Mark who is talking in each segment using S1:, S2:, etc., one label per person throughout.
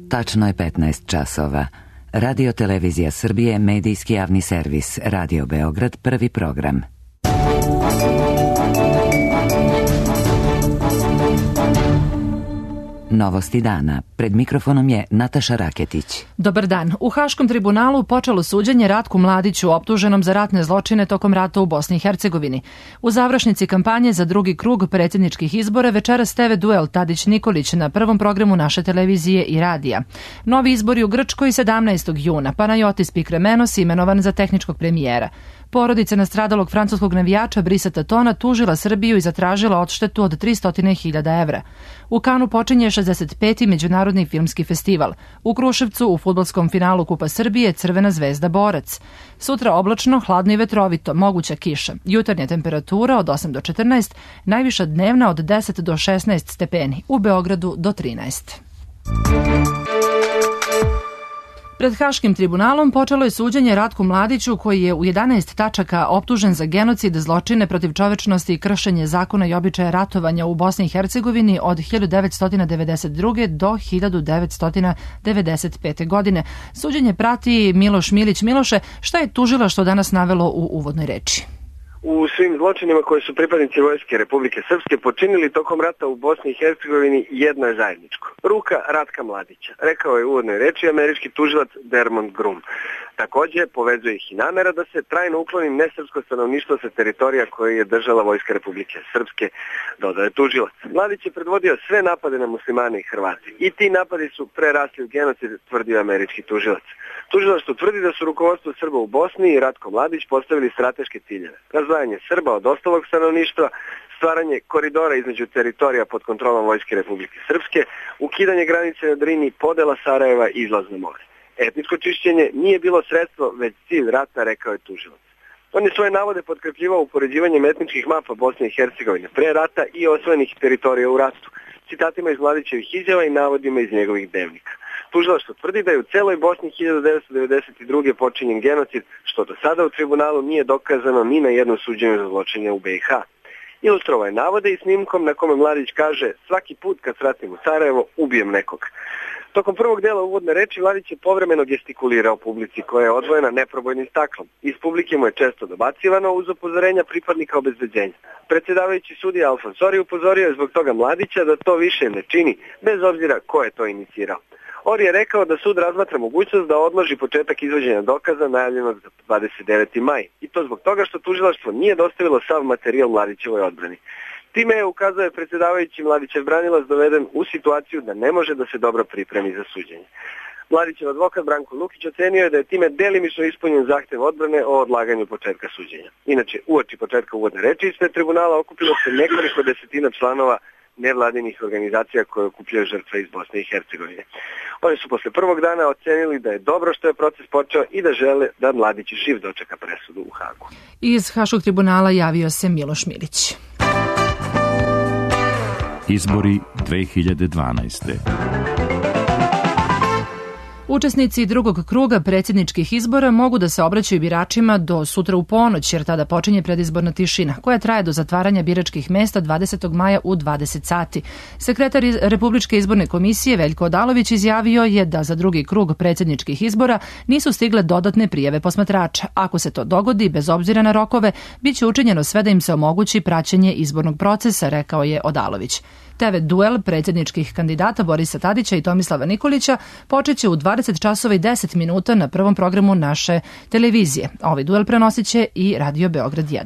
S1: Tačno je 15 časova. Radio Televizija Srbije, medijski javni servis, Radio Beograd, prvi program. Novosti dana. Pred mikrofonom je Nataša Raketić.
S2: Dobar dan. U Haškom tribunalu počelo suđenje Ratku Mladiću, optuženom za ratne zločine tokom rata u Bosni i Hercegovini. U završnici kampanje za drugi krug predsjedničkih izbora večeras TV duel Tadić-Nikolić na prvom programu naše televizije i radija. Novi izbori u Grčkoj 17. juna. Panajotis Pikremenos imenovan za tehničkog premijera. Porodica nastradalog francuskog navijača Brisa Tatona tužila Srbiju i zatražila odštetu od 300.000 evra. U Kanu počinje 65. Međunarodni filmski festival. U Kruševcu u fudbalskom finalu Kupa Srbije Crvena zvezda Borac. Sutra oblačno, hladno i vetrovito, moguća kiša. Jutarnja temperatura od 8 do 14, najviša dnevna od 10 do 16 stepeni. U Beogradu do 13. Pred Haškim tribunalom počelo je suđenje Ratku Mladiću, koji je u 11 tačaka optužen za genocid, zločine protiv čovečnosti i kršenje zakona i običaja ratovanja u Bosni i Hercegovini od 1992. do 1995. godine. Suđenje prati Miloš Milić. Miloše, šta je tužilaštvo danas navelo u uvodnoj reči?
S3: U svim zločinima koje su pripadnici Vojske Republike Srpske počinili tokom rata u Bosni i Hercegovini jedno je zajedničko. Ruka Ratka Mladića, rekao je u uvodnoj reči američki tužilac Dermond Grum. Također povezuje ih i namera da se trajno ukloni nesrpsko stanovništvo sa teritorija koje je držala Vojska Republike Srpske, dodao je tužilac. Mladić je predvodio sve napade na muslimane i Hrvati. I ti napadi su prerasli u genocid, tvrdio američki tužilac. Tužilaštvo tvrdi da su rukovodstvo Srba u Bosni i Ratko Mladić postavili strateške ciljeve. Razdvajanje Srba od ostalog stanovništva, stvaranje koridora između teritorija pod kontrolom Vojske Republike Srpske, ukidanje granice na Drini, podela Sarajeva i izlaz na more. Etničko čišćenje nije bilo sredstvo, već cilj rata, rekao je tužilac. On je svoje navode potkrepljivao upoređivanjem etničkih mapa Bosne i Hercegovine pre rata i osvojenih teritorija u ratu, citatima iz Mladićevih izjava i navodima iz njegovih dnevnika. Tužilaštvo tvrdi da je u celoj Bosni 1992. počinjen genocid, što do sada u tribunalu nije dokazano ni na jednom suđenju za zločine u BiH. Ilustrovao je navode i snimkom na kome Mladić kaže: svaki put kad svratim u Sarajevo, ubijem nekog. Tokom prvog dela uvodne reči Mladić je povremeno gestikulirao publici koja je odvojena neprobojnim staklom. Iz publike mu je često dobacivano uz upozorenja pripadnika obezbeđenja. Predsjedavajući sudija Alfonsori upozorio je zbog toga Mladića da to više ne čini, bez obzira ko je to inicirao. Ori je rekao da sud razmatra mogućnost da odloži početak izvođenja dokaza najavljenog za 29. maj. I to zbog toga što tužilaštvo nije dostavilo sav materijal Mladićevoj odbrani. Time je, ukazao predsjedavajući, Mladićev branilac doveden u situaciju da ne može da se dobro pripremi za suđenje. Mladićev advokat Branko Lukić ocenio je da je time delimično ispunjen zahtev odbrane o odlaganju početka suđenja. Inače, uoči početka uvodne reči ispred tribunala okupilo se nekoliko desetina članova nevladinih organizacija koje okupljaju žrtve iz Bosne i Hercegovine. Oni su posle prvog dana ocenili da je dobro što je proces počeo i da žele da Mladić živ dočeka presudu u Hagu.
S2: Iz Haškog tribunala javio se Miloš Milić.
S4: Izbori 2012.
S2: Učesnici drugog kruga predsjedničkih izbora mogu da se obraćaju biračima do sutra u ponoć, jer tada počinje predizborna tišina, koja traje do zatvaranja biračkih mesta 20. maja u 20 sati. Sekretar Republičke izborne komisije Veljko Odalović izjavio je da za drugi krug predsjedničkih izbora nisu stigle dodatne prijave posmatrača. Ako se to dogodi, bez obzira na rokove, bit će učinjeno sve da im se omogući praćenje izbornog procesa, rekao je Odalović. TV duel predsjedničkih kandidata Borisa Tadića i Tomislava Nikolića počeće u 20 časova i 10 minuta na prvom programu naše televizije. Ovaj duel prenosit će i Radio Beograd 1.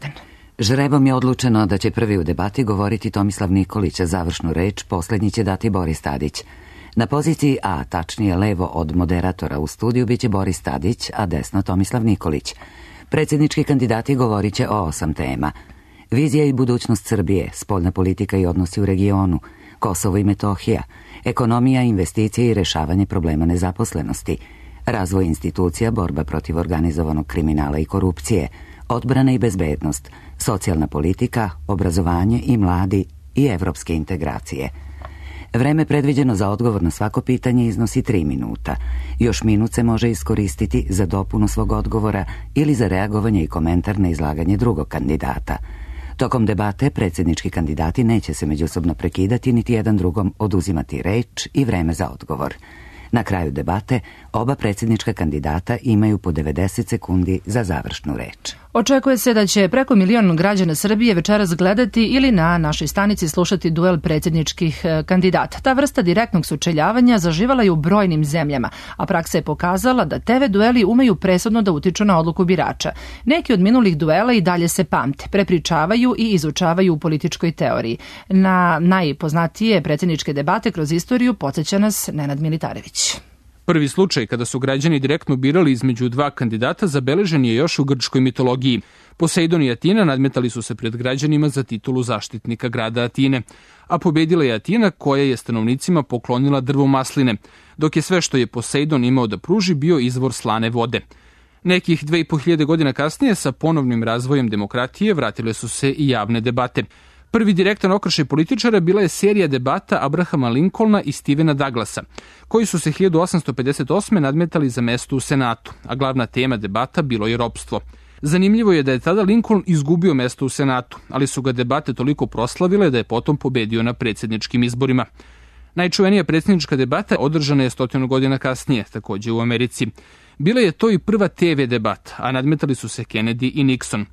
S1: Žrebom je odlučeno da će prvi u debati govoriti Tomislav Nikolić, a završnu reč posljednji će dati Boris Tadić. Na poziciji A, tačnije levo od moderatora u studiju, biće Boris Tadić, a desno Tomislav Nikolić. Predsjednički kandidati govorit će o 8 tema. Vizija i budućnost Srbije, spoljna politika i odnosi u regionu, Kosovo i Metohija, ekonomija, investicije i rešavanje problema nezaposlenosti, razvoj institucija, borba protiv organizovanog kriminala i korupcije, odbrana i bezbednost, socijalna politika, obrazovanje i mladi i evropske integracije. Vreme predviđeno za odgovor na svako pitanje iznosi 3 minuta. Još minut se može iskoristiti za dopunu svog odgovora ili za reagovanje i komentar na izlaganje drugog kandidata. Tokom debate predsjednički kandidati neće se međusobno prekidati niti jedan drugom oduzimati reč i vreme za odgovor. Na kraju debate oba predsjednička kandidata imaju po 90 sekundi za završnu reč.
S2: Očekuje se da će preko 1 milion građana Srbije večeras gledati ili na našoj stanici slušati duel predsjedničkih kandidata. Ta vrsta direktnog sučeljavanja zaživala je u brojnim zemljama, a praksa je pokazala da TV dueli umeju presudno da utiču na odluku birača. Neki od minulih duela i dalje se pamte, prepričavaju i izučavaju u političkoj teoriji. Na najpoznatije predsjedničke debate kroz istoriju podsjeća nas Nenad Militarević.
S5: Prvi slučaj kada su građani direktno birali između dva kandidata zabeležen je još u grčkoj mitologiji. Poseidon i Atina nadmetali su se pred građanima za titulu zaštitnika grada Atine, a pobedila je Atina koja je stanovnicima poklonila drvo masline, dok je sve što je Poseidon imao da pruži bio izvor slane vode. Nekih 2500 godina kasnije sa ponovnim razvojem demokratije vratile su se i javne debate. Prvi direktan okršaj političara bila je serija debata Abrahama Lincolna i Stevena Douglasa, koji su se 1858. nadmetali za mesto u Senatu, a glavna tema debata bilo je ropstvo. Zanimljivo je da je tada Lincoln izgubio mesto u Senatu, ali su ga debate toliko proslavile da je potom pobedio na predsjedničkim izborima. Najčuvenija predsjednička debata održana je 100 godina kasnije, takođe u Americi. Bila je to i prva TV debata, a nadmetali su se Kennedy i Nixon.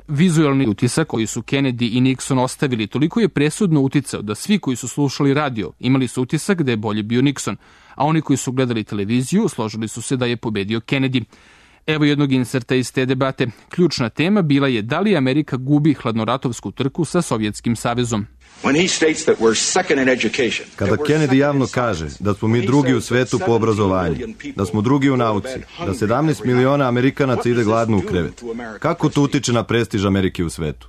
S5: Vizualni utisak koji su Kennedy i Nixon ostavili toliko je presudno uticao da svi koji su slušali radio imali su utisak da je bolje bio Nixon, a oni koji su gledali televiziju složili su se da je pobedio Kennedy. Evo jednog inserta iz te debate. Ključna tema bila je da li Amerika gubi hladnoratovsku trku sa Sovjetskim savezom.
S6: Kada Kennedy javno kaže da smo mi drugi u svetu po obrazovanju, da smo drugi u nauci, da 17 miliona Amerikanaca ide gladno u krevet, kako to utiče na prestiž Amerike u svetu?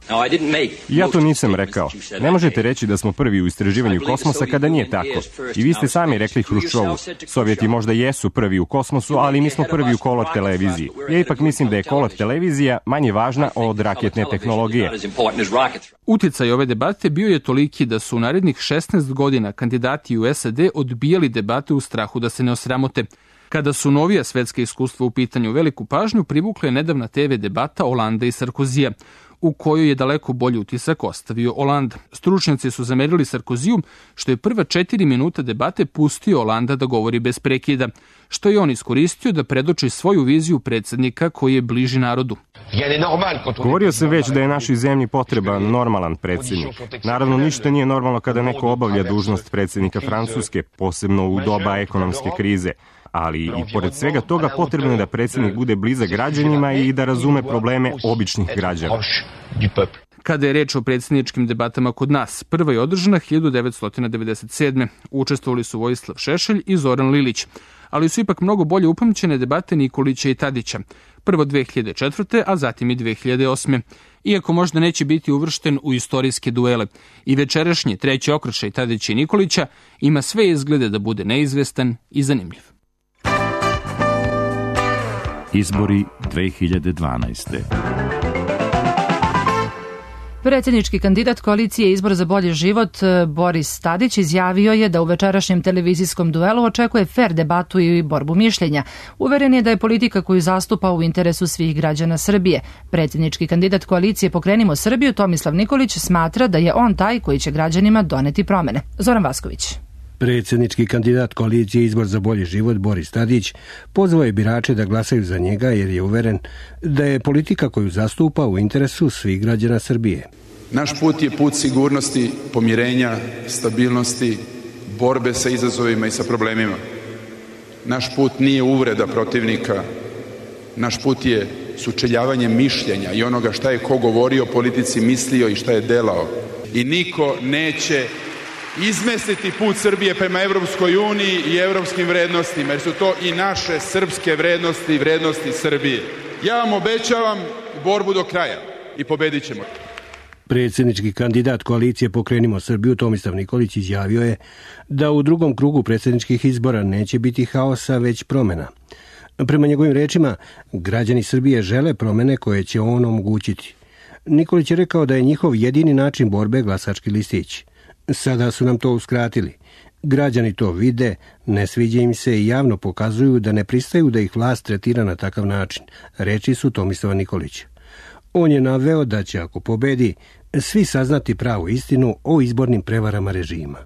S7: Ja to nisam rekao. Ne možete reći da smo prvi u istraživanju kosmosa kada nije tako. I vi ste sami rekli Hruščovu. Sovjeti možda jesu prvi u kosmosu, ali mi smo prvi u kolot televiziji. Ja ipak mislim da je kolot televizija manje važna od raketne tehnologije.
S5: Uticaj ove debate bio je toliki da su u narednih 16 godina kandidati u SAD odbijali debate u strahu da se ne osramote. Kada su novija svetska iskustva u pitanju, veliku pažnju privukla je nedavna TV debata Holanda i Sarkozija, u kojoj je daleko bolji utisak ostavio Hollande. Stručnjaci su zamerili Sarkoziju što je prva 4 minuta debate pustio Hollanda da govori bez prekida, što je on iskoristio da predoči svoju viziju predsjednika koji je bliži narodu.
S7: Govorio sam već da je našoj zemlji potreban normalan predsjednik. Naravno, ništa nije normalno kada neko obavlja dužnost predsjednika Francuske, posebno u doba ekonomske krize. Ali i pored svega toga potrebno je da predsjednik bude blizak građanima i da razume probleme običnih građana.
S5: Kada je reč o predsjedničkim debatama kod nas, prva je održana 1997. Učestvovali su Vojislav Šešelj i Zoran Lilić, ali su ipak mnogo bolje upamćene debate Nikolića i Tadića. Prvo 2004. a zatim i 2008. Iako možda neće biti uvršten u istorijske duele. I večerašnji treći okršaj Tadića i Nikolića ima sve izglede da bude neizvestan i zanimljiv.
S4: Izbori 2012.
S2: Predsjednički kandidat koalicije Izbor za bolji život Boris Tadić izjavio je da u večerašnjem televizijskom duelu očekuje fer debatu i borbu mišljenja. Uveren je da je politika koju zastupa u interesu svih građana Srbije. Predsjednički kandidat koalicije Pokrenimo Srbiju Tomislav Nikolić smatra da je on taj koji će građanima doneti promene. Zoran Vasković.
S8: Predsjednički kandidat koalicije Izbor za bolji život Boris Tadić pozvao je birače da glasaju za njega jer je uveren da je politika koju zastupa u interesu svih građana Srbije.
S9: Naš put je put sigurnosti, pomirenja, stabilnosti, borbe sa izazovima i sa problemima. Naš put nije uvreda protivnika, naš put je sučeljavanje mišljenja i onoga šta je ko govorio o politici, mislio i šta je delao. I niko neće izmestiti put Srbije prema Evropskoj uniji i evropskim vrednostima, jer su to i naše srpske vrednosti i vrednosti Srbije. Ja vam obećavam borbu do kraja i pobedit ćemo.
S8: Predsjednički kandidat koalicije Pokrenimo Srbiju Tomislav Nikolić izjavio je da u drugom krugu predsjedničkih izbora neće biti haosa, već promjena. Prema njegovim rečima, građani Srbije žele promjene koje će on omogućiti. Nikolić je rekao da je njihov jedini način borbe glasački listić. Sada su nam to uskratili. Građani to vide, ne sviđa im se i javno pokazuju da ne pristaju da ih vlast tretira na takav način, reči su Tomislava Nikolića. On je naveo da će, ako pobedi, svi saznati pravu istinu o izbornim prevarama režima.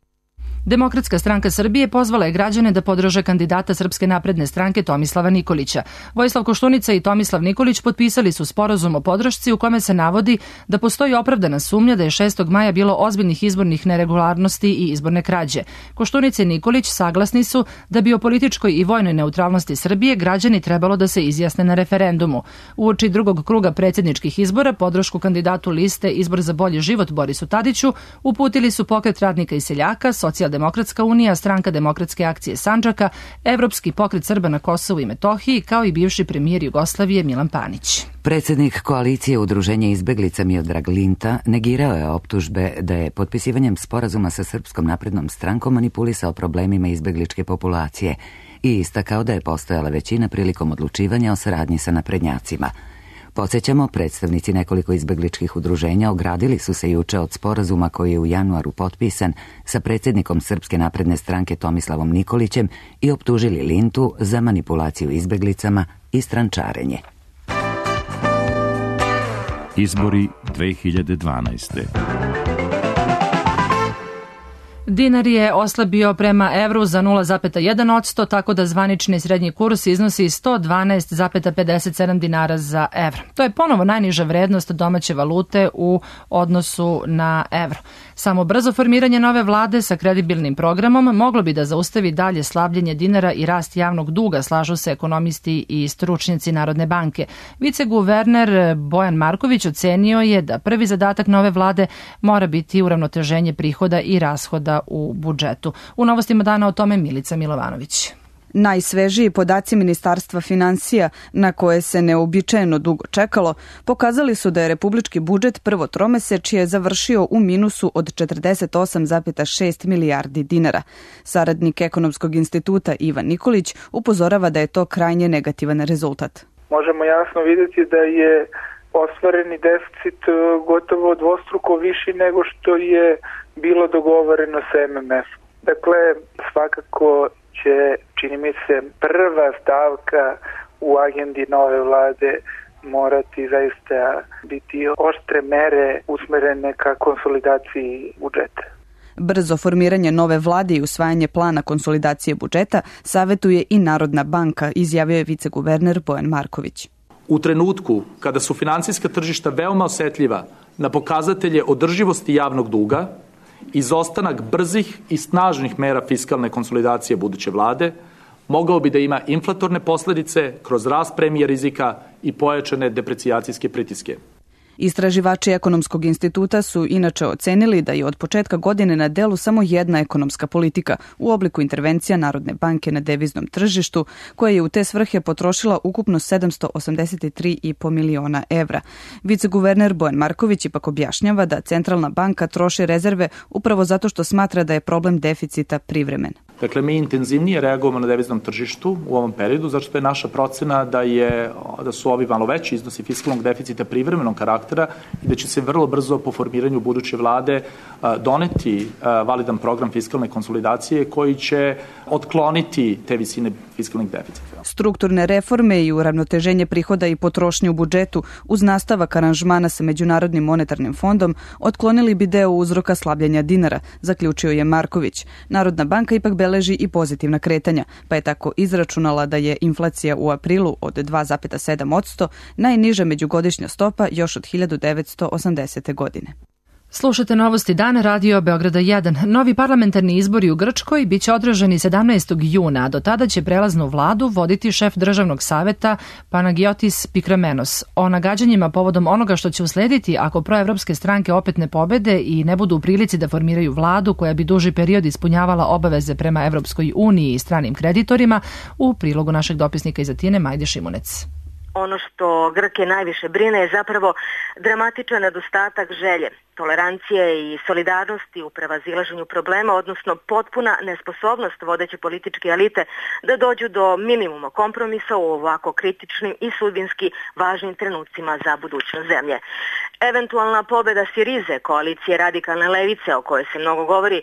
S2: Demokratska stranka Srbije pozvala je građane da podrže kandidata Srpske napredne stranke Tomislava Nikolića. Vojislav Koštunica i Tomislav Nikolić potpisali su sporazum o podršci u kome se navodi da postoji opravdana sumnja da je 6. maja bilo ozbiljnih izbornih neregularnosti i izborne krađe. Koštunica i Nikolić saglasni su da bi o političkoj i vojnoj neutralnosti Srbije građani trebalo da se izjasne na referendumu. Uoči drugog kruga predsjedničkih izbora podršku kandidatu liste Izbor za bolji život Borisu Tadiću uputili su Pokret radnika i seljaka, Socijaldemokratska unija, Stranka demokratske akcije Sandžaka, Evropski pokret Srba na Kosovu i Metohiji, kao i bivši premijer Jugoslavije Milan Panić.
S1: Predsjednik koalicije Udruženja izbeglica Miodrag Linta negirao je optužbe da je potpisivanjem sporazuma sa Srpskom naprednom strankom manipulisao problemima izbegličke populacije i istakao da je postojala većina prilikom odlučivanja o saradnji sa naprednjacima. Podsjećamo, predstavnici nekoliko izbegličkih udruženja ogradili su se juče od sporazuma koji je u januaru potpisan sa predsjednikom Srpske napredne stranke Tomislavom Nikolićem i optužili Lintu za manipulaciju izbeglicama i strančarenje.
S4: Izbori 2012.
S2: Dinar je oslabio prema evru za 0,1%, tako da zvanični srednji kurs iznosi 112,57 dinara za evro. To je ponovo najniža vrednost domaće valute u odnosu na evro. Samo brzo formiranje nove vlade sa kredibilnim programom moglo bi da zaustavi dalje slabljenje dinara i rast javnog duga, slažu se ekonomisti i stručnjaci Narodne banke. Viceguverner Bojan Marković ocenio je da prvi zadatak nove vlade mora biti uravnoteženje prihoda i rashoda u budžetu. U novostima dana o tome Milica Milovanović.
S10: Najsvežiji podaci Ministarstva finansija, na koje se neuobičajeno dugo čekalo, pokazali su da je republički budžet prvo tromesečje završio u minusu od 48,6 milijardi dinara. Saradnik Ekonomskog instituta Ivan Nikolić upozorava da je to krajnje negativan rezultat.
S11: Možemo jasno vidjeti da je ostvareni deficit gotovo dvostruko viši nego što je bilo dogovoreno sa MMF. Dakle, svakako će, čini mi se, prva stavka u agendi nove vlade morati zaista biti oštre mere usmerene ka konsolidaciji budžeta.
S10: Brzo formiranje nove vlade i usvajanje plana konsolidacije budžeta savetuje i Narodna banka, izjavio je viceguverner Bojan Marković.
S12: U trenutku kada su finansijska tržišta veoma osetljiva na pokazatelje održivosti javnog duga, izostanak brzih i snažnih mera fiskalne konsolidacije buduće vlade mogao bi da ima inflatorne posledice kroz rast premije rizika i pojačane deprecijacijske pritiske.
S10: Istraživači Ekonomskog instituta su inače ocenili da je od početka godine na delu samo jedna ekonomska politika u obliku intervencija Narodne banke na deviznom tržištu, koja je u te svrhe potrošila ukupno 783,5 miliona evra. Viceguverner Bojan Marković ipak objašnjava da Centralna banka troši rezerve upravo zato što smatra da je problem deficita privremen.
S12: Dakle, mi intenzivnije reagujemo na deviznom tržištu u ovom periodu, zato što je naša procena da su ovi malo veći iznosi fiskalnog deficita privremenog karaktera i da će se vrlo brzo po formiranju buduće vlade doneti validan program fiskalne konsolidacije koji će otkloniti te visine fiskalnih deficita.
S10: Strukturne reforme i uravnoteženje prihoda i potrošnje u budžetu uz nastavak aranžmana sa Međunarodnim monetarnim fondom otklonili bi deo uzroka slabljenja dinara, zaključio je Marković. Narodna banka ipak beleži i pozitivna kretanja, pa je tako izračunala da je inflacija u aprilu od 2,7% najniža međugodišnja stopa još od 1980. godine.
S2: Slušate novosti dana Radio Beograda 1. Novi parlamentarni izbori u Grčkoj biće održani 17. juna, a do tada će prelaznu vladu voditi šef državnog saveta Panagiotis Pikramenos. O nagađanjima povodom onoga što će uslediti ako proevropske stranke opet ne pobede i ne budu u prilici da formiraju vladu koja bi duži period ispunjavala obaveze prema Evropskoj uniji i stranim kreditorima, u prilogu našeg dopisnika iz Atine Majde Šimunec.
S13: Ono što Grke najviše brine je zapravo dramatičan nedostatak želje, tolerancije i solidarnosti u prevazilaženju problema, odnosno potpuna nesposobnost vodeće političke elite da dođu do minimuma kompromisa u ovako kritičnim i sudbinski važnim trenucima za budućnost zemlje. Eventualna pobeda Sirize, koalicije radikalne levice o kojoj se mnogo govori,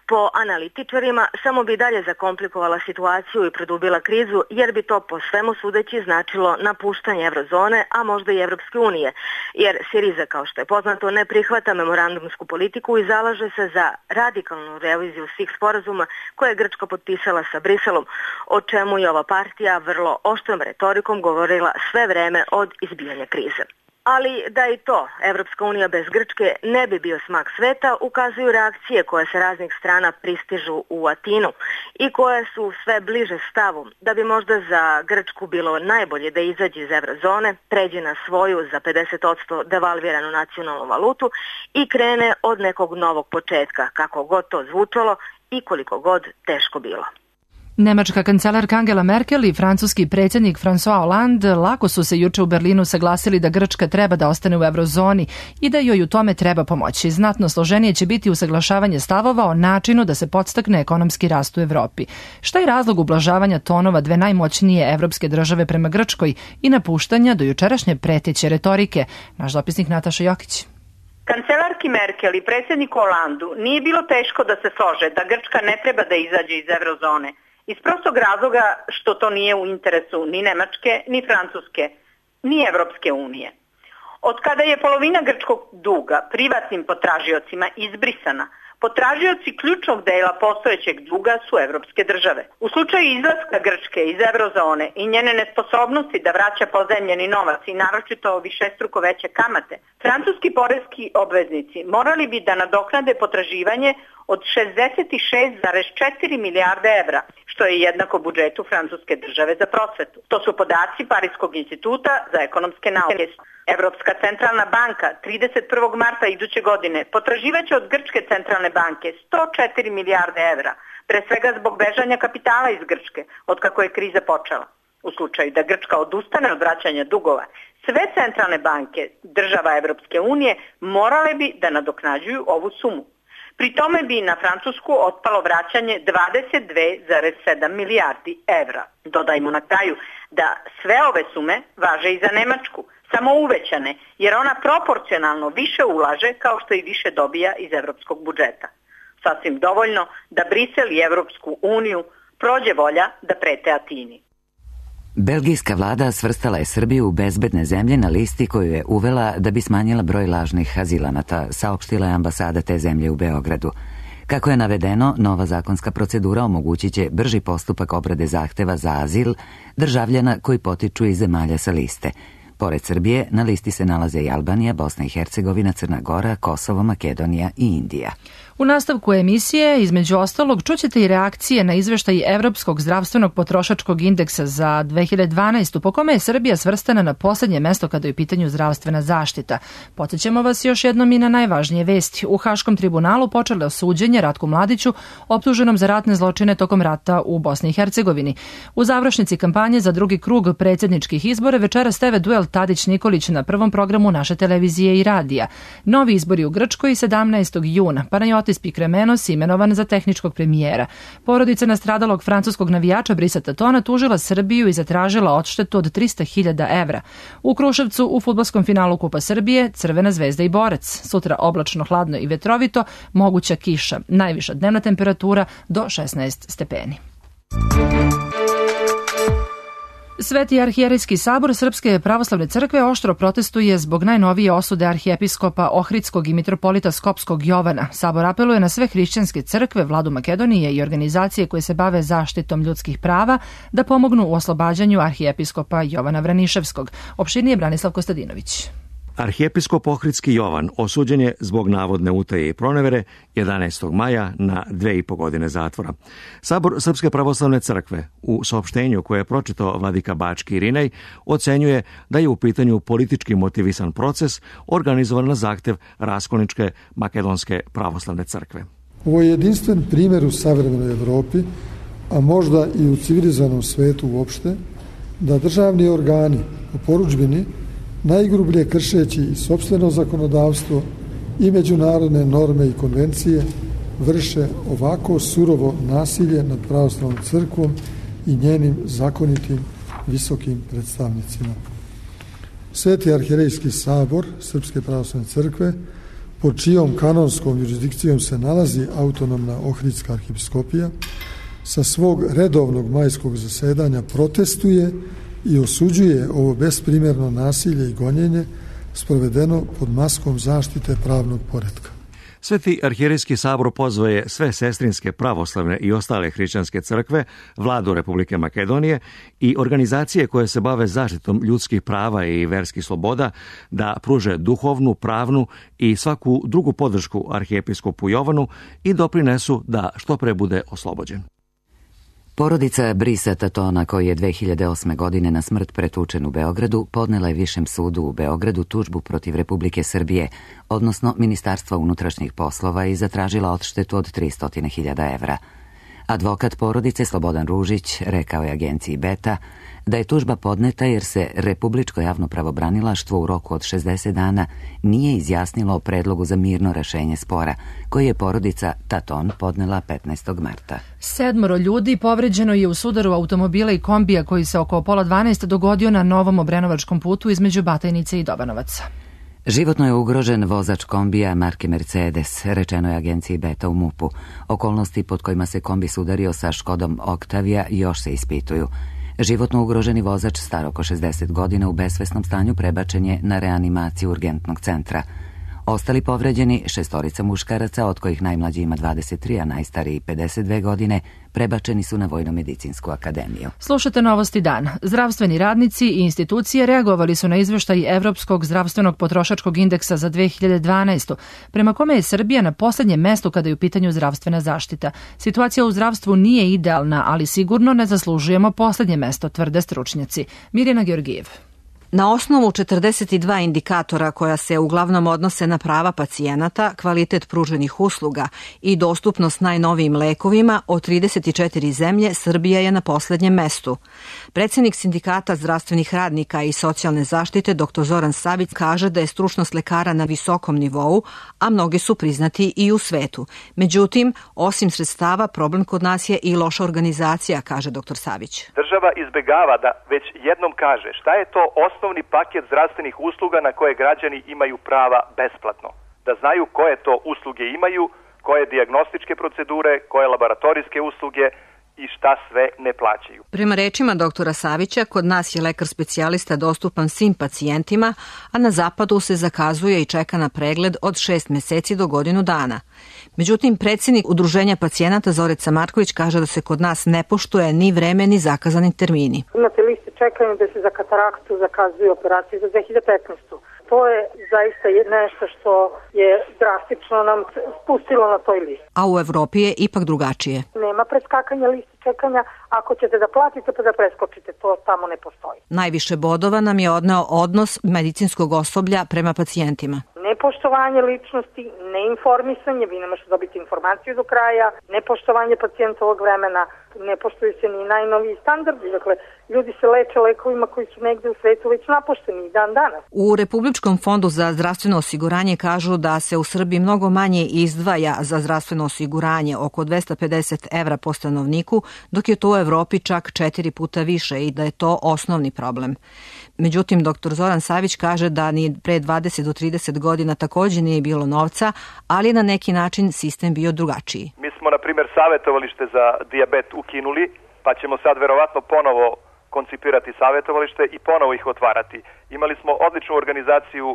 S13: Po analitičarima samo bi dalje zakomplikovala situaciju i produbila krizu, jer bi to po svemu sudeći značilo napuštanje eurozone, a možda i Evropske unije, jer Siriza, kao što je poznato, ne prihvata memorandumsku politiku i zalaže se za radikalnu reviziju svih sporazuma koje je Grčka potpisala sa Briselom, o čemu je ova partija vrlo oštrom retorikom govorila sve vreme od izbijanja krize. Ali da i to Evropska unija bez Grčke ne bi bio smak sveta, ukazuju reakcije koje sa raznih strana pristižu u Atinu i koje su sve bliže stavu da bi možda za Grčku bilo najbolje da izađe iz eurozone, pređe na svoju za 50% devalviranu nacionalnu valutu i krene od nekog novog početka, kako god to zvučalo i koliko god teško bilo.
S2: Nemačka kancelarka Angela Merkel i francuski predsjednik François Hollande lako su se juče u Berlinu saglasili da Grčka treba da ostane u eurozoni i da joj u tome treba pomoći. Znatno složenije će biti usaglašavanje stavova o načinu da se podstakne ekonomski rast u Evropi. Šta je razlog ublažavanja tonova dve najmoćnije evropske države prema Grčkoj i napuštanja do jučerašnje preteće retorike? Naš dopisnik Nataša Jokić.
S14: Kancelarki Merkel i predsjedniku Hollandu nije bilo teško da se slože da Grčka ne treba da izađe iz eurozone. Iz prostog razloga što to nije u interesu ni Nemačke, ni Francuske, ni Evropske unije. Od kada je polovina grčkog duga privatnim potražiocima izbrisana, potražioci ključnog dela postojećeg duga su evropske države. U slučaju izlaska Grčke iz eurozone i njene nesposobnosti da vraća pozajmljeni novac i naročito višestruko veće kamate, francuski poreski obveznici morali bi da nadoknade potraživanje od 66,4 milijarde evra, što je jednako budžetu francuske države za prosvetu. To su podaci Parijskog instituta za ekonomske nauke. Evropska centralna banka 31. marta iduće godine potraživaće od Grčke centralne banke 104 milijarde evra, pre svega zbog bežanja kapitala iz Grčke, od kako je kriza počela. U slučaju da Grčka odustane od vraćanja dugova, sve centralne banke država Evropske unije morale bi da nadoknađuju ovu sumu. Pri tome bi na Francusku otpalo vraćanje 22,7 milijardi evra. Dodajmo na kraju da sve ove sume važe i za Nemačku, samo uvećane, jer ona proporcionalno više ulaže kao što i više dobija iz evropskog budžeta. Sasvim dovoljno da Brisel i Evropsku uniju prođe volja da prete Atini.
S1: Belgijska vlada svrstala je Srbiju u bezbedne zemlje na listi koju je uvela da bi smanjila broj lažnih azilanata, saopštila je ambasada te zemlje u Beogradu. Kako je navedeno, nova zakonska procedura omogućit će brži postupak obrade zahteva za azil državljana koji potiču iz zemalja sa liste. Pored Srbije, na listi se nalaze i Albanija, Bosna i Hercegovina, Crna Gora, Kosovo, Makedonija i Indija.
S2: U nastavku emisije, između ostalog, čućete i reakcije na izveštaj Evropskog zdravstvenog potrošačkog indeksa za 2012. po kome je Srbija svrstana na posljednje mesto kada je u pitanju zdravstvena zaštita. Podsjećamo vas još jednom i na najvažnije vesti. U Haškom tribunalu počelo suđenje Ratku Mladiću, optuženom za ratne zločine tokom rata u Bosni i Hercegovini. U završnici kampanje za drugi krug predsjedničkih izbora večeras TV duel Tadić-Nikolić na prvom programu naše televizije i radija. Novi izbori u Grčkoj 17. juna. Panajotis Pikremenos imenovan za tehničkog premijera. Porodica nastradalog francuskog navijača Brisa Tatona tužila Srbiju i zatražila odštetu od 300.000 evra. U Kruševcu u fudbalskom finalu Kupa Srbije Crvena zvezda i Borac. Sutra oblačno, hladno i vetrovito, moguća kiša. Najviša dnevna temperatura do 16 stepeni. Sveti arhijerejski sabor Srpske pravoslavne crkve oštro protestuje zbog najnovije osude arhijepiskopa Ohridskog i mitropolita Skopskog Jovana. Sabor apeluje na sve hrišćanske crkve, vladu Makedonije i organizacije koje se bave zaštitom ljudskih prava da pomognu u oslobađanju arhijepiskopa Jovana Vraniševskog. Opširnije Branislav Kostadinović.
S15: Arhijepiskop Ohridski Jovan osuđen je zbog navodne utaje i pronevere 11. maja na 2,5 godine zatvora. Sabor Srpske pravoslavne crkve u saopštenju koje je pročitao vladika Bački Irinej ocenjuje da je u pitanju politički motivisan proces organizovan na zahtev Raskolničke makedonske pravoslavne crkve.
S16: Ovo je jedinstven primjer u savremenoj Evropi, a možda i u civilizovanom svetu uopšte, da državni organi u porudžbini najgrublje kršeći i sopstveno zakonodavstvo i međunarodne norme i konvencije vrše ovako surovo nasilje nad pravoslavnom crkvom i njenim zakonitim visokim predstavnicima. Sveti arhijerejski sabor Srpske pravoslavne crkve pod čijom kanonskom jurisdikcijom se nalazi autonomna Ohridska arhipiskopija, sa svog redovnog majskog zasedanja protestuje i osuđuje ovo besprimjerno nasilje i gonjenje sprovedeno pod maskom zaštite pravnog poretka.
S15: Sveti arhijerejski sabor pozvao je sve sestrinske, pravoslavne i ostale hrišćanske crkve, vladu Republike Makedonije i organizacije koje se bave zaštitom ljudskih prava i verskih sloboda da pruže duhovnu, pravnu i svaku drugu podršku arhijepiskopu Jovanu i doprinesu da što pre bude oslobođen.
S1: Porodica Brisa Tatona, koji je 2008. godine na smrt pretučen u Beogradu, podnela je Višem sudu u Beogradu tužbu protiv Republike Srbije, odnosno Ministarstva unutrašnjih poslova, i zatražila odštetu od 300.000 evra. Advokat porodice Slobodan Ružić rekao je agenciji Beta da je tužba podneta jer se Republičko javno pravobranilaštvo u roku od 60 dana nije izjasnilo o predlogu za mirno rešenje spora, koji je porodica Taton podnela 15. marta.
S2: 7 ljudi povređeno je u sudaru automobila i kombija koji se oko 11:30 dogodio na Novom Obrenovačkom putu između Batajnice i Dobanovaca.
S1: Životno je ugrožen vozač kombija marke Mercedes, rečeno je agenciji Beta u MUP-u. Okolnosti pod kojima se kombi sudario sa Škodom Octavia još se ispituju. Životno ugroženi vozač star oko 60 godina u besvesnom stanju prebačen je na reanimaciju urgentnog centra. Ostali povređeni, 6 muškaraca, od kojih najmlađi ima 23, a najstariji 52 godine, prebačeni su na Vojno-medicinsku akademiju.
S2: Slušate Novosti dan. Zdravstveni radnici i institucije reagovali su na izveštaj Evropskog zdravstvenog potrošačkog indeksa za 2012. prema kome je Srbija na poslednjem mestu kada je u pitanju zdravstvena zaštita. Situacija u zdravstvu nije idealna, ali sigurno ne zaslužujemo poslednje mesto, tvrde stručnjaci. Mirjana Georgijev.
S17: Na osnovu 42 indikatora koja se uglavnom odnose na prava pacijenata, kvalitet pruženih usluga i dostupnost najnovijim lekovima, od 34 zemlje Srbija je na poslednjem mestu. Predsjednik Sindikata zdravstvenih radnika i socijalne zaštite dr. Zoran Savić kaže da je stručnost lekara na visokom nivou, a mnogi su priznati i u svetu. Međutim, osim sredstava, problem kod nas je i loša organizacija, kaže dr. Savić.
S18: Država izbegava da već jednom kaže šta je to osnovni paket zdravstvenih usluga na koje građani imaju prava besplatno. Da znaju koje to usluge imaju, koje dijagnostičke procedure, koje laboratorijske usluge i šta sve ne plaćaju.
S17: Prema rečima doktora Savića, kod nas je lekar specijalista dostupan svim pacijentima, a na zapadu se zakazuje i čeka na pregled od 6 meseci do godinu dana. Međutim, predsjednik Udruženja pacijenata Zorica Marković kaže da se kod nas ne poštuje ni vreme ni zakazani termini.
S19: Imate liste čekanja da se za kataraktu zakazuju operacije za 2015. To je zaista nešto što je drastično nam spustilo na toj listi.
S17: A u Evropi je ipak drugačije.
S19: Nema preskakanja listi čekanja, ako ćete da platite pa da preskočite, to tamo ne postoji.
S17: Najviše bodova nam je odneo odnos medicinskog osoblja prema pacijentima.
S19: Nepoštovanje ličnosti, neinformisanje, vi ne možete dobiti informaciju do kraja, nepoštovanje pacijentovog vremena, ne poštuju se ni najnoviji standardi, dakle ljudi se leče lekovima koji su negde u svetu već napušteni dan danas.
S17: U Republičkom fondu za zdravstveno osiguranje kažu da se u Srbiji mnogo manje izdvaja za zdravstveno osiguranje, oko 250 evra po stanovniku, dok je to u Evropi čak 4 puta više i da je to osnovni problem. Međutim, dr. Zoran Savić kaže da ni pre 20 do 30 godina također nije bilo novca, ali je na neki način sistem bio drugačiji.
S18: Mi smo, na primjer, savjetovalište za dijabet ukinuli, pa ćemo sad verovatno ponovo koncipirati savjetovalište i ponovo ih otvarati. Imali smo odličnu organizaciju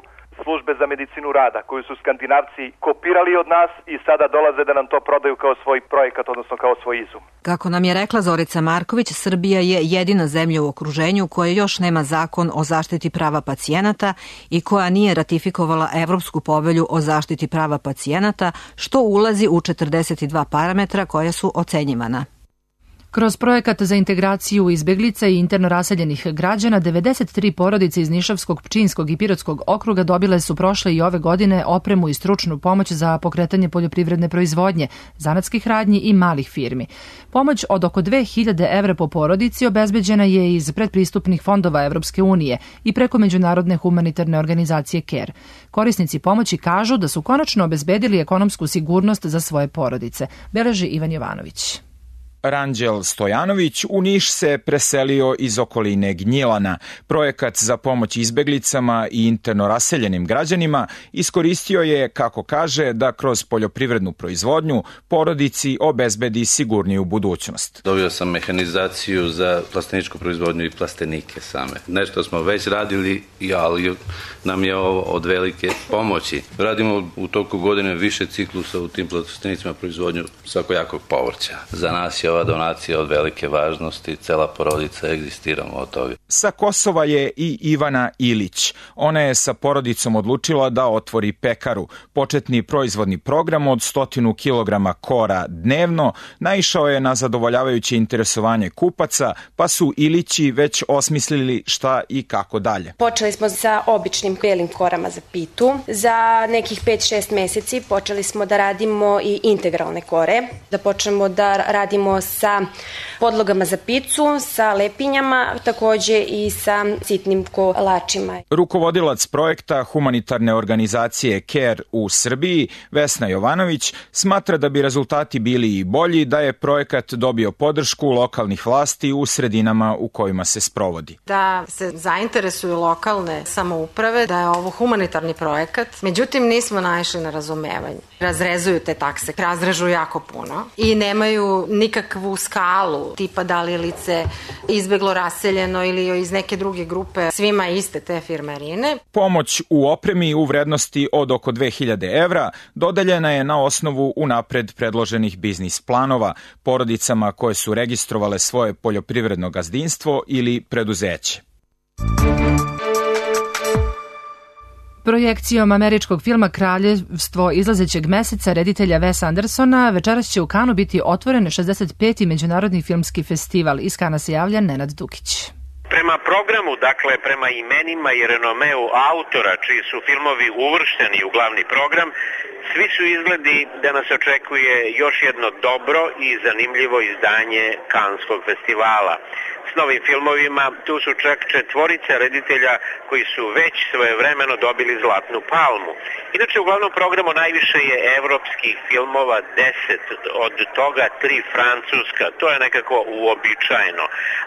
S18: službe za medicinu rada, koju su Skandinavci kopirali od nas i sada dolaze da nam to prodaju kao svoj projekat, odnosno kao svoj izum.
S17: Kako nam je rekla Zorica Marković, Srbija je jedina zemlja u okruženju koja još nema zakon o zaštiti prava pacijenata i koja nije ratifikovala Evropsku povelju o zaštiti prava pacijenata, što ulazi u 42 parametra koja su ocenjivana.
S2: Kroz projekat za integraciju izbeglica i interno raseljenih građana, 93 porodice iz Nišavskog, Pčinjskog i Pirotskog okruga dobile su prošle i ove godine opremu i stručnu pomoć za pokretanje poljoprivredne proizvodnje, zanatskih radnji i malih firmi. Pomoć od oko 2000 evra po porodici obezbeđena je iz predpristupnih fondova Evropske unije i preko međunarodne humanitarne organizacije CARE. Korisnici pomoći kažu da su konačno obezbedili ekonomsku sigurnost za svoje porodice, beleži Ivan Jovanović.
S20: Ranđel Stojanović u Niš se preselio iz okoline Gnjilana. Projekat za pomoć izbeglicama i interno raseljenim građanima iskoristio je, kako kaže, da kroz poljoprivrednu proizvodnju porodici obezbedi sigurniju budućnost.
S21: Dobio sam mehanizaciju za plasteničku proizvodnju i plastenike same. Nešto smo već radili, ali nam je ovo od velike pomoći. Radimo u toku godine više ciklusa u tim plastenicima proizvodnju svakojakog povrća. Za nas je ova donacija od velike važnosti, cela porodica egzistiramo od toga.
S20: Sa Kosova je i Ivana Ilić. Ona je sa porodicom odlučila da otvori pekaru. Početni proizvodni program od 100 kilograma kora dnevno naišao je na zadovoljavajuće interesovanje kupaca, pa su Ilići već osmislili šta i kako dalje.
S22: Počeli smo sa običnim belim korama za pitu. Za nekih 5-6 meseci počeli smo da radimo i integralne kore, da počnemo da radimo sa podlogama za picu, sa lepinjama, takođe i sa sitnim kolačima.
S20: Rukovodilac projekta humanitarne organizacije CARE u Srbiji, Vesna Jovanović, smatra da bi rezultati bili i bolji da je projekat dobio podršku lokalnih vlasti u sredinama u kojima se sprovodi.
S23: Da se zainteresuju lokalne samouprave, da je ovo humanitarni projekat, međutim nismo naišli na razumevanje. Razrezuju te takse, razrežu jako puno i nemaju nikakvu skalu, tipa da li je lice izbeglo raseljeno ili iz neke druge grupe, svima iste te firmarine.
S20: Pomoć u opremi u vrednosti od oko 2000 evra dodeljena je na osnovu unapred predloženih biznis planova porodicama koje su registrovale svoje poljoprivredno gazdinstvo ili preduzeće.
S2: Projekcijom američkog filma Kraljevstvo izlazećeg meseca reditelja Wes Andersona večeras će u Kanu biti otvoren 65. međunarodni filmski festival. Iz Kana se javlja Nenad Dukić.
S24: Prema programu, dakle prema imenima i renomeu autora čiji su filmovi uvršteni u glavni program, svi su izgledi da nas očekuje još jedno dobro i zanimljivo izdanje Kanskog festivala. S novim filmovima tu su čak 4 reditelja koji su već svojevremeno dobili Zlatnu palmu. Inače u glavnom programu najviše je evropskih filmova, 10, od toga 3 francuska. To je nekako uobičajeno.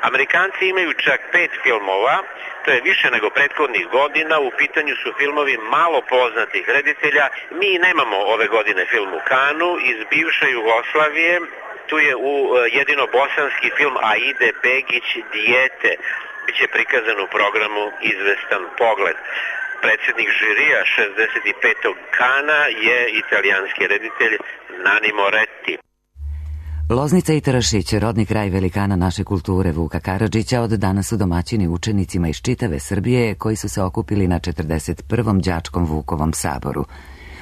S24: Amerikanci imaju čak 5 filmova, to je više nego prethodnih godina, u pitanju su filmovi malo poznatih reditelja. Mi nemamo ove godine film u Kanu, iz bivše Jugoslavije. Tu je jedino bosanski film Aide Begić Dijete, biće prikazan u programu Izvestan pogled. Predsjednik žirija 65. Kana je italijanski reditelj Nani Moretti.
S1: Loznica i Tarašić, rodni kraj velikana naše kulture Vuka Karadžića, od danas su domaćini učenicima iz čitave Srbije koji su se okupili na 41. đačkom Vukovom saboru.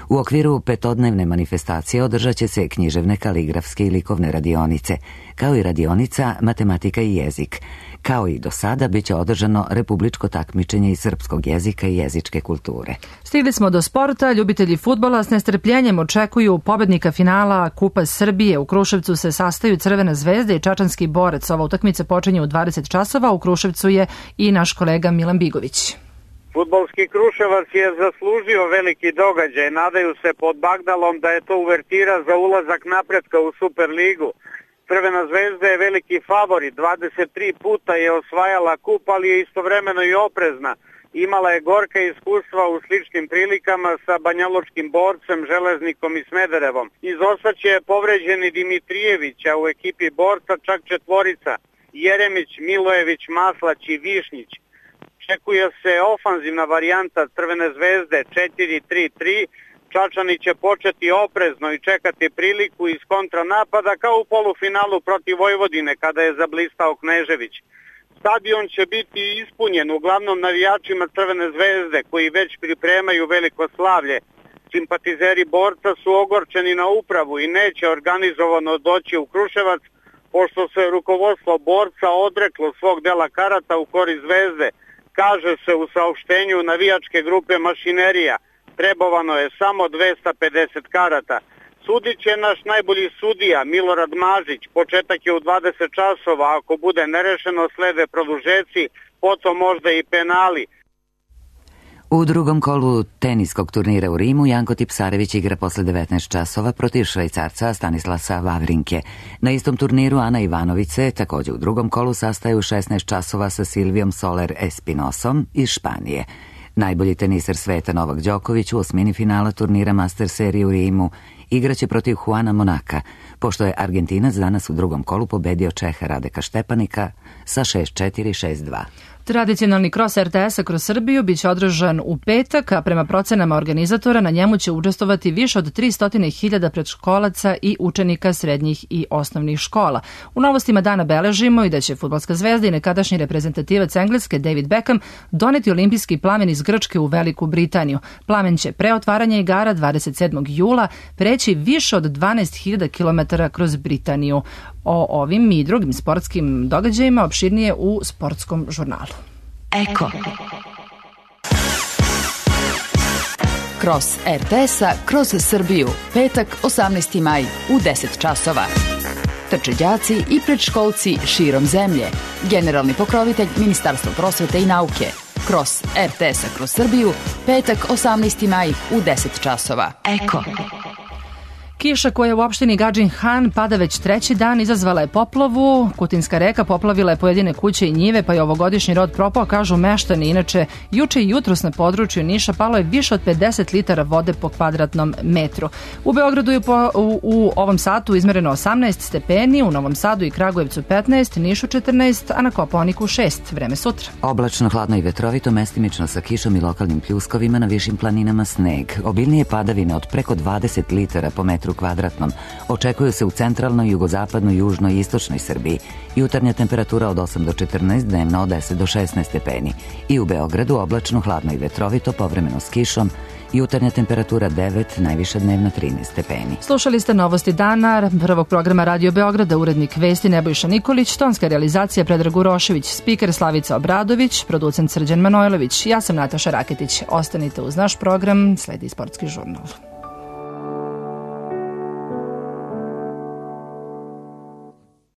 S1: U okviru 5-dnevne manifestacije održat će se književne, kaligrafske i likovne radionice, kao i radionica matematika i jezik. Kao i do sada, bit će održano republičko takmičenje iz srpskog jezika i jezičke kulture.
S2: Stigli smo do sporta. Ljubitelji fudbala s nestrpljenjem očekuju pobednika finala Kupa Srbije. U Kruševcu se sastaju Crvena zvezda i Čačanski borac. Ova utakmica počinje u 20 časova. U Kruševcu je i naš kolega Milan Bigović.
S25: Fudbalski Kruševac je zaslužio veliki događaj. Nadaju se pod Bagdalom da je to uvertira za ulazak napretka u Superligu. Crvena zvezda je veliki favorit. 23 puta je osvajala kup, ali je istovremeno i oprezna. Imala je gorka iskustva u sličnim prilikama sa banjalučkim borcem, Železnikom i Smederevom. Iz Osaće je povređeni Dimitrijević, a u ekipi borca čak 4: Jeremić, Milojević, Maslać i Višnjić. Očekuje se ofanzivna varijanta Crvene zvezde 4-3-3. Čačani će početi oprezno i čekati priliku iz kontranapada kao u polufinalu protiv Vojvodine kada je zablistao Knežević. Stadion će biti ispunjen uglavnom navijačima Crvene zvezde koji već pripremaju veliko slavlje. Simpatizeri borca su ogorčeni na upravu i neće organizovano doći u Kruševac pošto se rukovodstvo borca odreklo svog dela karata u korist zvezde. Kaže se u saopštenju navijačke grupe Mašinerija, trebovano je samo 250 karata. Sudit će naš najbolji sudija Milorad Mažić, početak je u 20 časova, ako bude nerešeno slede produžeci, potom možda i penali.
S1: U drugom kolu teniskog turnira u Rimu Janko Tipsarević igra posle 19 časova protiv Švajcarca Stanislasa Wawrinke. Na istom turniru Ana Ivanović se također u drugom kolu sastaje u 16 časova sa Silvijom Soler Espinosom iz Španije. Najbolji teniser sveta Novak Đoković u osmini finala turnira Master serije u Rimu igraće protiv Juana Monaka, pošto je Argentinac danas u drugom kolu pobedio Čeha Radeka Štepanika sa 6-4, 6-2.
S2: Tradicionalni kros RTS-a kroz Srbiju biće održan u petak, a prema procenama organizatora na njemu će učestvovati više od 300.000 predškolaca i učenika srednjih i osnovnih škola. U novostima dana beležimo i da će fudbalska zvezda i nekadašnji reprezentativac Engleske David Beckham doneti olimpijski plamen iz Grčke u Veliku Britaniju. Plamen će pre otvaranja igara 27. jula preći više od 12.000 km kroz Britaniju. O ovim i drugim sportskim događajima opširnije u sportskom žurnalu.
S3: Eko. Kros RTS-a kroz Srbiju. Petak, 18. maj u 10 časova. Trče đaci i predškolci širom zemlje. Generalni pokrovitelj Ministarstva prosvete i nauke. Kros RTS-a kroz Srbiju. Petak, 18. maj u 10 časova. Eko.
S2: Kiša koja u opštini Gadžin Han pada već treći dan izazvala je poplavu. Kutinska reka poplavila je pojedine kuće i njive, pa je ovogodišnji rod propao, kažu meštani. Inače, juče i jutros na području Niša palo je više od 50 litara vode po kvadratnom metru. U Beogradu je u ovom satu izmereno 18 stepeni, u Novom Sadu i Kragujevcu 15, Nišu 14, a na Kopaoniku 6. Vreme sutra.
S1: Oblačno, hladno i vetrovito, mestimično sa kišom i lokalnim pljuskovima, na višim planinama sneg. Obilnije padavine od preko 20 litara po metru kvadratnom očekuju se u centralnoj, jugozapadnoj, južnoj i istočnoj Srbiji. Jutarnja temperatura od 8 do 14, dnevno od 10 do 16 stepeni. I u Beogradu oblačno, hladno i vetrovito, povremeno s kišom. Jutarnja temperatura 9, najviša dnevna 13 stepeni.
S2: Slušali ste novosti dana prvog programa Radio Beograda, urednik vesti Nebojša Nikolić, tonska realizacija Predrag Urošević, spiker Slavica Obradović, producent Srđan Manojlović. Ja sam Nataša Raketić. Ostanite uz naš program, sledi sportski žurnal.